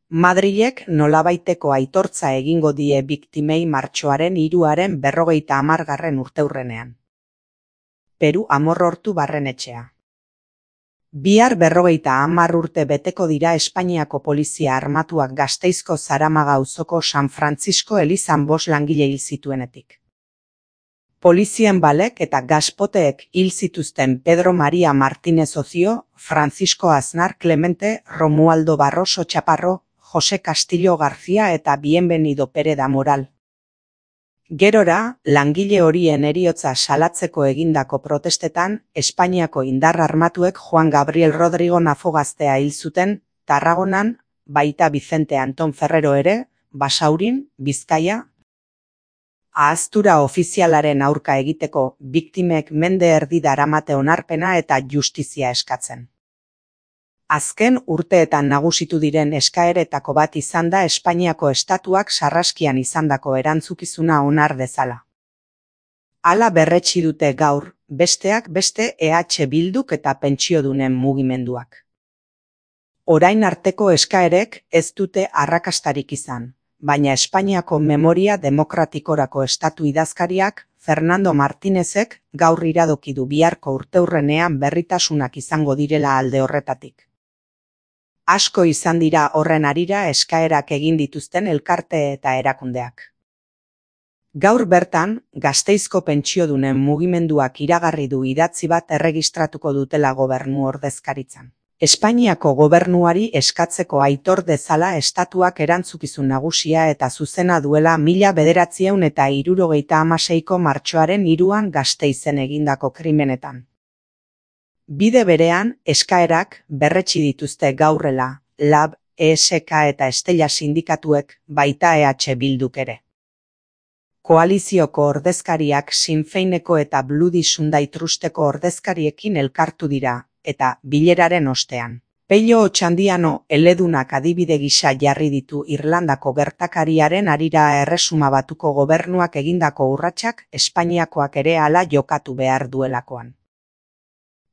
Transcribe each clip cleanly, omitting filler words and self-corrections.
Madrilek nolabaiteko aitortza egingo die biktimei martxoaren 3-aren 50. urteurrenean. Peru Amorrortu Barrenetxea. Bihar 50 urte beteko dira Espainiako polizia armatuak Gasteizko Zaramaga auzoko San Francisco elizan 5 langile hil zituenetik. Polizien balek eta gaspoteek hil zituzten Pedro María Martínez Ocio, Francisco Aznar Clemente, Romualdo Barroso Chaparro, José Castillo García eta Bienvenido Pereda Moral. Gerora, langile horien heriotza salatzeko egindako protestetan, Espainiako indar armatuek Juan Gabriel Rodrigo Nafogaztea hil zuten, Tarragonan, baita Vicente Anton Ferrero ere, Basaurin, Bizkaia. Ahaztura ofizialaren aurka egiteko biktimek mende erdi daramate onarpena eta justizia eskatzen. Azken urteetan nagusitu diren eskaeretako bat izan da Espainiako estatuak sarraskian izandako erantzukizuna onar dezala. Hala berretsi dute gaur, besteak beste EH Bilduk eta pentsiodunen mugimenduak. Orain arteko eskaerek ez dute arrakastarik izan, baina Espainiako Memoria Demokratikorako estatu idazkariak, Fernando Martínezek, gaur iradoki du biharko urteurrenean berritasunak izango direla alde horretatik. Asko izan dira horren harira eskaerak egin dituzten elkarte eta erakundeak. Gaur bertan, Gasteizko pentsiodunen mugimenduak iragarri du idatzi bat erregistratuko dutela gobernu ordezkaritzan. Espainiako gobernuari eskatzeko aitor dezala estatuak erantzukizun nagusia eta zuzena duela 1976ko martxoaren 3an Gasteizen egindako krimenetan. Bide berean, eskaerak berretsi dituzte gaurrela, LAB, ESK eta Estella sindikatuek, baita EH Bilduk ere. Koalizioko ordezkariak Sinn Féineko eta Bloody Sunday Trusteko ordezkariekin elkartu dira, eta bileraren ostean. Pello Otxandiano eledunak adibide gisa jarri ditu Irlandako gertakariaren harira Erresuma Batuko gobernuak egindako urratsak Espainiakoak ere hala jokatu behar duelakoan.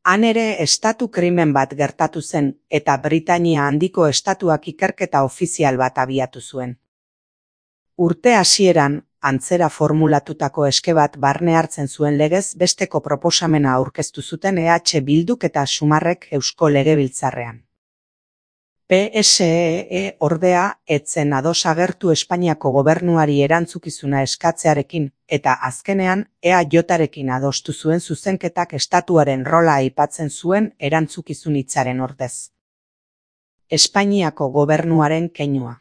Han ere estatu krimen bat gertatu zen eta Britainia handiko estatuak ikerketa ofizial bat abiatu zuen. Urte hasieran, antzera formulatutako eske bat barne hartzen zuen legez besteko proposamena aurkeztu zuten EH Bilduk eta Sumarrek Eusko Legebiltzarrean. PSE ordea etzen ados agertu Espainiako gobernuari erantzukizuna eskatzearekin eta azkenean EAJarekin adostu zuen zuzenketak estatuaren rola aipatzen zuen erantzukizun hitzaren ordez. Espainiako gobernuaren keinua.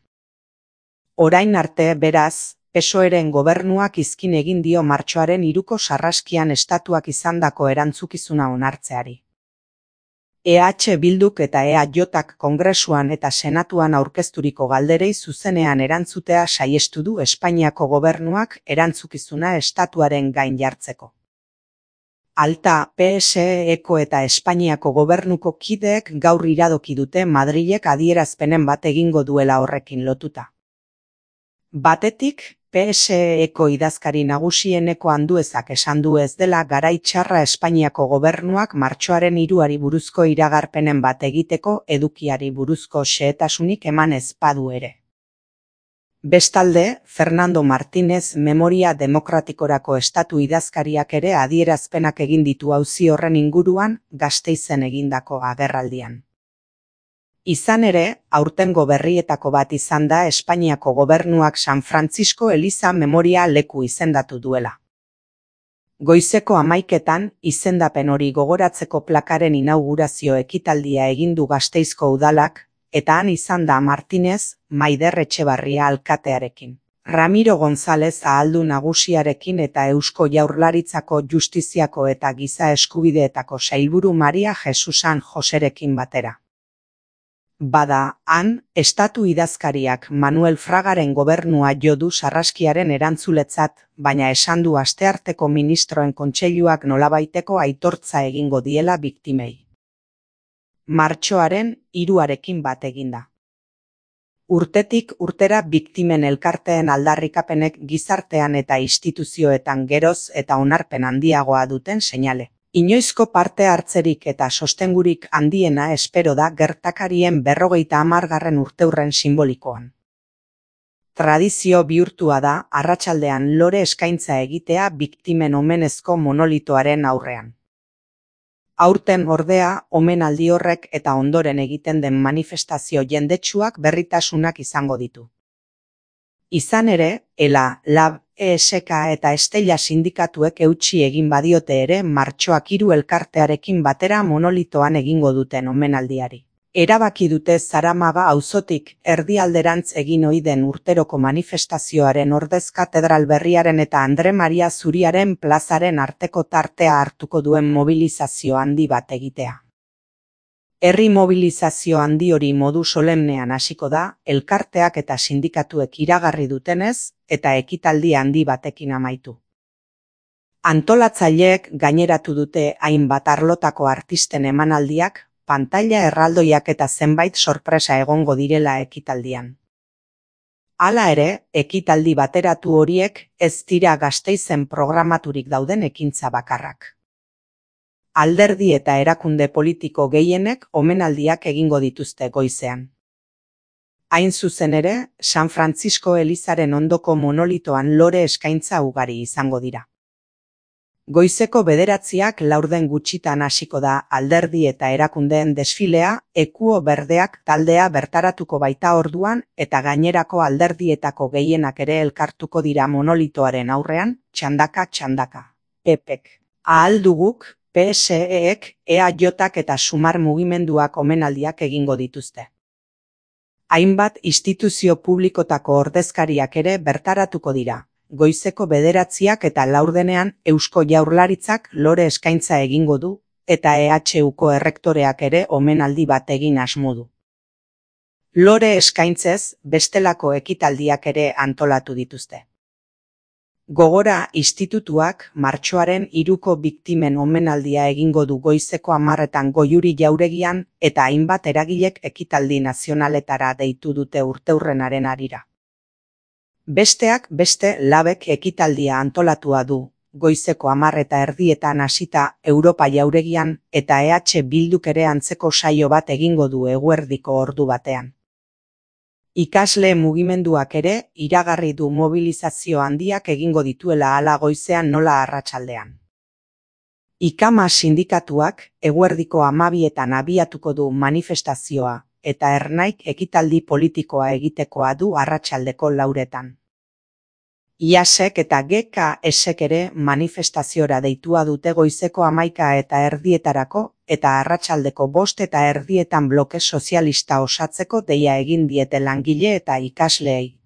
Orain arte, beraz, PSOEren gobernuak izkin egin dio martxoaren 3ko sarraskian estatuak izandako erantzukizuna onartzeari. EH Bilduk eta EAJak Kongresuan eta Senatuan aurkezturiko galderei zuzenean erantzutea saiestu du Espainiako gobernuak erantzukizuna estatuaren gain jartzeko. Alta, PSEko eta Espainiako gobernuko kideek gaur iradoki dute Madrilek adierazpenen bat egingo duela horrekin lotuta. Batetik, PSEko idazkari nagusieneko Anduezak esan du ez dela garai txarra Espainiako gobernuak martxoaren 3ari buruzko iragarpenen bat egiteko edukiari buruzko xehetasunik eman ez badu ere. Bestalde, Fernando Martínez Memoria Demokratikorako estatu idazkariak ere adierazpenak egin ditu auzi horren inguruan Gasteizen egindako agerraldian. Izan ere, aurtengo berrietako bat izan da Espainiako gobernuak San Francisco eliza memoria leku izendatu duela. Goizeko 11etan, izendapen hori gogoratzeko plakaren inaugurazio ekitaldia egin du Gasteizko udalak, eta han izan da Martínez, Maider Etxebarria alkatearekin, Ramiro González ahaldu nagusiarekin eta Eusko Jaurlaritzako Justiziako eta Giza Eskubideetako sailburu Maria Jesusan Joserekin batera. Bada, han, estatu idazkariak Manuel Fragaren gobernua jo du sarraskiaren erantzuletzat, baina esan du astearteko ministroen kontseiluak nolabaiteko aitortza egingo diela biktimei. Martxoaren 3arekin bat eginda. Urtetik urtera biktimen elkarteen aldarrikapenek gizartean eta instituzioetan geroz eta onarpen handiagoa duten seinale. Inoizko parte hartzerik eta sostengurik handiena espero da gertakarien 50. urteurren simbolikoan. Tradizio bihurtua da arratsaldean lore eskaintza egitea biktimen omenezko monolitoaren aurrean. Aurten ordea, omenaldi horrek eta ondoren egiten den manifestazio jendetsuak berritasunak izango ditu. Izan ere, ELA, LAB, ESK eta Estella sindikatuek eutsi egin badiote ere martxoak 3 elkartearekin batera monolitoan egingo duten omenaldiari. Erabaki dute Zaramaga auzotik erdialderantz egin ohi den urteroko manifestazioaren ordez katedral berriaren eta Andre Maria Zuriaren plazaren arteko tartea hartuko duen mobilizazio handi bat egitea. Herri mobilizazio handi hori modu solemnean hasiko da, elkarteak eta sindikatuek iragarri dutenez, eta ekitaldi handi batekin amaitu. Antolatzaileek gaineratu dute hainbat arlotako artisten emanaldiak, pantaila erraldoiak eta zenbait sorpresa egongo direla ekitaldian. Hala ere, ekitaldi bateratu horiek ez dira Gasteizen programaturik dauden ekintza bakarrak. Alderdi eta erakunde politiko gehienek omenaldiak egingo dituzte goizean. Hain zuzen ere, San Francisco elizaren ondoko monolitoan lore eskaintza ugari izango dira. Goizeko 9:00 laurden gutxitan hasiko da alderdi eta erakundeen desfilea, Ekuo Berdeak taldea bertaratuko baita orduan eta gainerako alderdietako gehienak ere elkartuko dira monolitoaren aurrean, txandaka. PPek. Ahal duguk, PSEek, EAJak eta Sumar mugimenduak omenaldiak egingo dituzte. Hainbat instituzio publikotako ordezkariak ere bertaratuko dira. Goizeko 9:00 eta laurdenean Eusko Jaurlaritzak lore eskaintza egingo du, eta EHUko errektoreak ere omenaldi bat egin asmo du. Lore eskaintzez bestelako ekitaldiak ere antolatu dituzte. Gogora institutuak martxoaren 3ko biktimen omenaldia egingo du goizeko 10:00 Goiuri jauregian eta hainbat eragilek ekitaldi nazionaletara deitu dute urteurrenaren harira. Besteak beste LABek ekitaldia antolatua du, goizeko 10:30 hasita Europa jauregian eta EH Bilduk ere antzeko saio bat egingo du eguerdiko ordu batean. Ikasle mugimenduak ere iragarri du mobilizazio handiak egingo dituela hala goizean nola arratsaldean. IKAMA sindikatuak eguerdiko 12:00 abiatuko du manifestazioa eta Ernaik ekitaldi politikoa egitekoa du arratsaldeko 4:00. IASek eta GKSek ere manifestaziora deitua dute goizeko 11:30 eta arratsaldeko 5:30 bloke sozialista osatzeko deia egin diete langile eta ikasleei.